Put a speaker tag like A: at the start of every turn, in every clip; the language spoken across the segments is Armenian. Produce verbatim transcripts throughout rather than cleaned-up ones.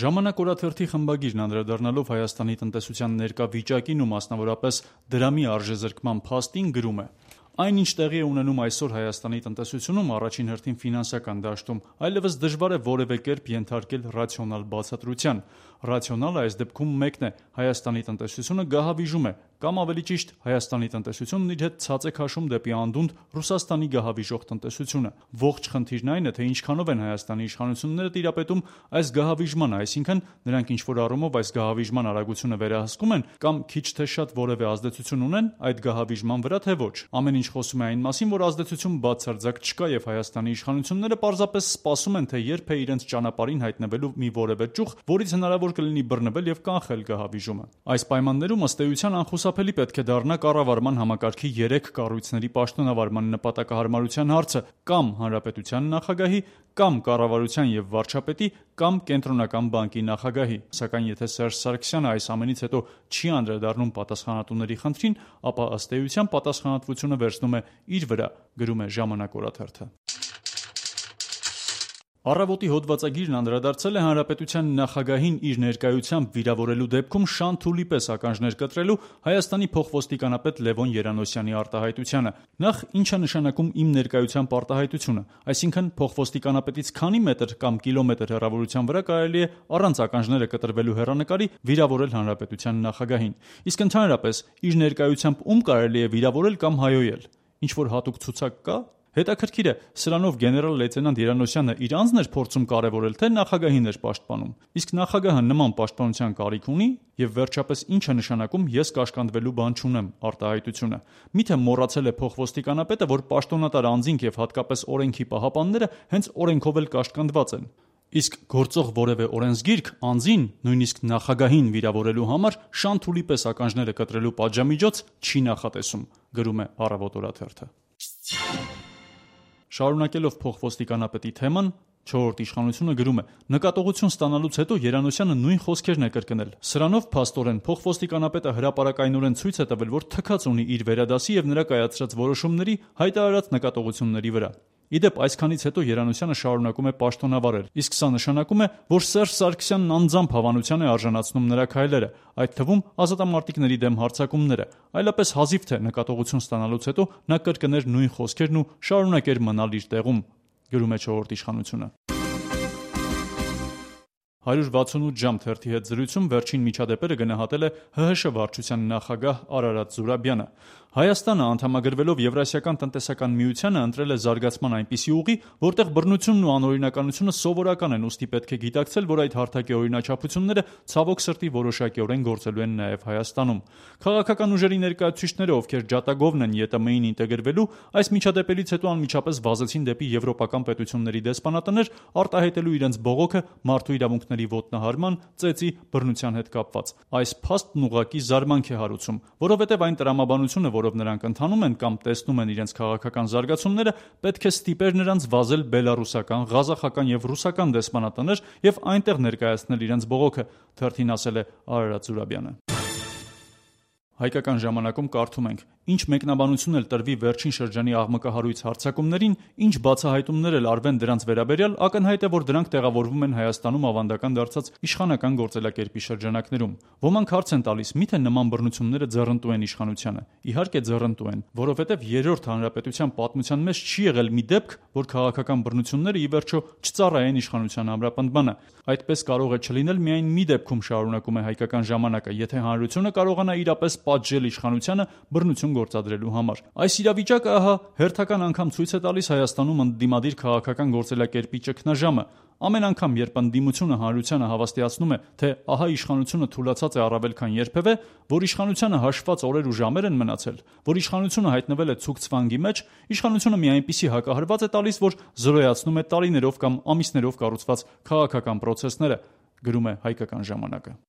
A: Ժամանակ օրաթերթի խմբագիրն անդրադառնալով Հայաստանի տնտեսության ներկա վիճակին ու մասնավորապես դրամի արժեզրկման փաստին գրում է. Այն, ինչ տեղի է ունենում այսօր Հայաստանի տնտեսությունում, առաջին հերթին ֆինանսական դաշտում, այլևս դժվար է որևէ կերպ ենթարկել ռացիոնալ բացատրության։ Ռացիոնալը այս դեպքում մեկն է՝ Հայաստանի տնտեսությունը գահավիժում է, կամ ավելի ճիշտ, Հայաստանի տնտեսությունն իր հետ ցած է քաշում դեպի անդունդ Ռուսաստանի գահավիժող տնտեսությունը։ Ողջ խնդիրն այն է, թե ինչքանով են Հայաստանի իշխանությունները տիրապետում այս գահավիժմանը, այսինքն նրանք ինչ-որ առումով այս գահավիժման արագությունը վերահսկում են կամ քիչ թե շատ որևէ ազդեցություն ունեն այդ գահավիժման վրա, թե ոչ։ Ամեն ինչ խոսում է այն մասին, որ ազդեցություն բացարձակ չկա եւ Հայաստանի իշխանությունները պարզապես սպասում են, թե երբ է իրենց ճանապարհին հայտնվելու մի որևէ ճյուղ, որից հնարավոր կլինի բռնվել եւ կանխել գահավիժումը։ Այս պայմաններում ըստ էության անխուսափելի պետք է դառնա կառավարման համակարգի երեք կառույցների պաշտոնավարման նպատակահարմարության հարցը կամ հանրապետության նախագահի, կամ կառավարության եւ վարչապետի, կամ կենտրոնական բանկի նախագահի։ Սակայն եթե Սերժ Սարգսյանը այս ամենից հետո չի անդրադառնում պատասխանատուների խնդրին, ապա ըստ էության պատասխանատվությունը վերցնում է իր վրա, գրում է Ժամանակ օրաթերթը։ Առավոտի հոդվածագիրն անդրադարձել է հանրապետության նախագահին իր ներկայությամբ վիրավորելու դեպքում շան-թուլի պես ականջներ կտրելու Հայաստանի փոխոստիկանապետ Լևոն Երանոսյանի արտահայտությանը։ Նախ, ինչ է նշանակում իմ ներկայությամբ արտահայտությունը, այսինքն փոխոստիկանապետից քանի մետր կամ կիլոմետր հեռավորության վրա կարելի է առանց ականջները կտրվելու հեռանկարի վիրավորել հանրապետության նախագահին։ Իսկ ընդհանրապես իր ներկայությամբ ում կարելի է վիրավորել կամ հայոյել։ Ինչ որ հատուկ ցուցակ կա։ Հետաքրքիր է, սրանով գեներալ լեյտենանտ Երանոսյանը իր անձն էր փորձում կարևորել, թե նախագահին էր պաշտպանում։ Իսկ նախագահը նման պաշտպանության կարիք ունի, եւ վերջապես ինչ է նշանակում ես կաշկանդվելու բան չունեմ արտահայտությունը։ Միթե մոռացել է փոխոստիկանապետը, որ պաշտոնատար անձինք եւ հատկապես օրենքի պահապանները հենց օրենքով էլ կաշկանդված են։ Իսկ գործող որևէ օրենսգիրք անձին, նույնիսկ նախագահին վիրավորելու համար շան-թուլի պես ականջները կտրելու պատժամիջոց չի նախատեսում, գրում է Առավոտ օրաթերթը։ Շարունակելով փոխոստիկանապետի թեման, չորրորդ իշխանությունը գրում է. նկատողություն ստանալուց հետո Երանոսյանը նույն խոսքերն է կրկնել։ Սրանով փաստորեն փոխոստիկանապետը հրապարակայնորեն ցույց է տվել, որ թքած ունի իր վերադասի եւ նրա կայացրած որոշումների հայտարարած նկատողությունների վրա։ Իդեպ այսքանից հետո Երանոսյանը շարունակում է պաշտոնավարել, իսկ սա նշանակում է, որ Սերժ Սարգսյանն անձամբ հավանության է արժանացնում նրա քայլերը, այդ թվում ազատամարտիկների դեմ հարձակումները, այլապես հազիվ թե նկատողություն ստանալուց հետո նա կրկներ նույն խոսքերն ու շարունակեր մնալ իր տեղում, գրում է չորրորդ իշխանությունը։ հարյուր վաթսունութ ժամ թերթի հետ զրույցում վերջին միջադեպերը գնահատել է Հ Հ Շ վարչության նախագահ Արարատ Զուրաբյանը։ Հայաստանը անդամագրվելով Եվրասիական տնտեսական միությանը ընտրել է զարգացման այնպիսի ուղի, որտեղ բռնությունն ու անօրինականությունը սովորական են, ուստի պետք է գիտակցել, որ այդ հարթակի օրինաչափությունները ցավոք սրտի որոշակիորեն գործելու են նաև Հայաստանում։ Քաղաքական ուժերի ներկայացուցիչները, ովքեր ջատագովն են Ե Տ Մ-ին ինտեգրվելու, այս միջադեպերից հետո անմիջապես վազեցին դեպի եվրոպական պետությունների դեսպանատներ, արտահայտելու իրենց բողոքը մարդու իրավունքների ոտնահարման, ծեծի, բռնության հետ կապված։ Այս փաստն ուղղակի զարմանք է հարուցում, որովհետև այն տրամաբանությունը, որով նրանք ընթանում են կամ տեսնում են իրենց քաղաքական զարգացումները, պետք է ստիպեր նրանց վազել բելառուսական, ղազախական եւ ռուսական դեսպանատներ եւ այնտեղ ներկայացնել իրենց բողոքը, թերթին ասել է Արարատ Զուրաբյանը։ Հայկական ժամանակում կարդում ենք. ինչ մեկնաբանություն էլ տրվի վերջին շրջանի աղմկահարույց հարձակումներին, ինչ բացահայտումներ էլ արվեն դրանց վերաբերյալ, ակնհայտ է, որ դրանք տեղավորվում են Հայաստանում ավանդական դարձած իշխանական գործելակերպի շրջանակներում։ Ոմանք հարց են տալիս, միթե նման բռնությունները ձեռնտու են իշխանությանը։ Իհարկե ձեռնտու են, որովհետև երրորդ հանրապետության պատմության մեջ չի եղել մի դեպք, որ քաղաքական բռնությունները ի վերջո չծառայեն իշխանության ամրապնդմանը։ Այդպես կարող է չլինել միայն մի դեպքում, շարունակում է Հայկական ժամանակը, եթե հանրությունը կարողանա իրապես պատժել իշխանությանը բռնություն գործադրելու համար։ Այս իրավիճակը ահա հերթական անգամ ցույց է տալիս Հայաստանում ընդդիմադիր քաղաքական գործելակերպի ճգնաժամը։ Ամեն անգամ, երբ ընդդիմությունը հանրությանը հավաստիացնում է, թե ահա իշխանությունը թուլացած է առավել քան երբևէ, որ իշխանությանը հաշված օրեր ու ժամեր են մնացել, որ իշխանությունը հայտնվել է ցուկ ցվանգի մեջ, իշխանությունը մի այնպիսի հակահարված է տալիս, որ զրոյացնում է տարիներով կամ ամիսներով կառուցված քաղաքական պրոցեսները, գրում է Հայկական ժամանակը։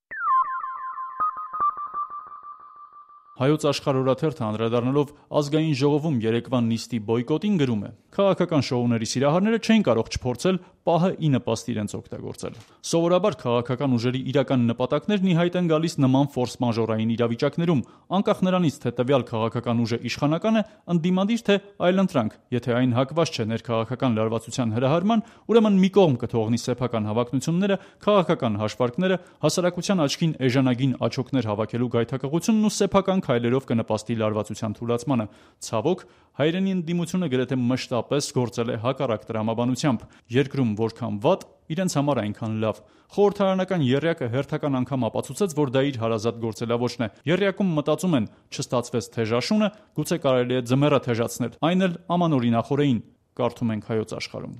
A: Հայոց աշխարհ օրաթերթը անդրադառնալով ազգային ժողովում երեկվա նիստի բոյկոտին գրում է. քաղաքական շոուների սիրահարները չէին կարող չփորձել պահը ի նպաստ իրենց օգտագործել։ Սովորաբար քաղաքական ուժերի իրական նպատակներն ի հայտ են գալիս նման ֆորս մաժորային իրավիճակներում, անկախ նրանից, թե տվյալ քաղաքական ուժը իշխանական է, ընդդիմադիր թե այլընտրանք։ Եթե այն հակված չէ ներքաղաքական լարվածության հրահարման, ուրեմն մի կողմ կթողնի սեփական հավակնությունները, քաղաքական հաշվարկները, հասարակության աչքին էժանագին աչոքներ հավաքելու գայթակղությունն ու սեփական քայլերով կնպաստի լարվածության թուլացմանը։ Ցավոք, հայրենի ընդդիմությունը գրեթե մշտապես գործել է հակառակ տրամաբանությամբ։ Երկրում որքան վատ, իրենց համար այնքան լավ։ Խորհրդարանական եռյակը հերթական անգամ ապացուցեց, որ դա իր հարազատ գործելավոճն է։ Եռյակում մտածում են՝ չստացվեց թեժաշունը, գուցե կարելի է ձմեռը թեժացնել, այն էլ ամանորինախորեին, կարդում ենք Հայոց Աշխարհում։